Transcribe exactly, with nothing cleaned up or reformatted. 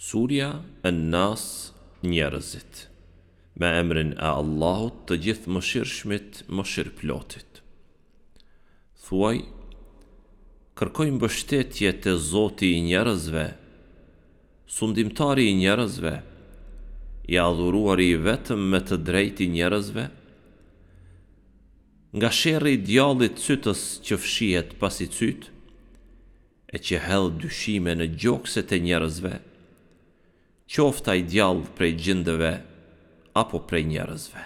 Surja En-Nas Njerëzit Me emrin e Allahut të Gjithëmëshirshmit Mëshirëplotit Thuaj Kërkoj mbështetje te Zoti i njerëzve Sundimtari i njerëzve I adhuruari i vetëm me të drejtë i njerëzve Nga sherri i djallit cytës që fshihet pasi cyt e që hedh dyshime në gjokset e njerëzve, qoftë ai djall prej xhindëve apo prej njerëzve.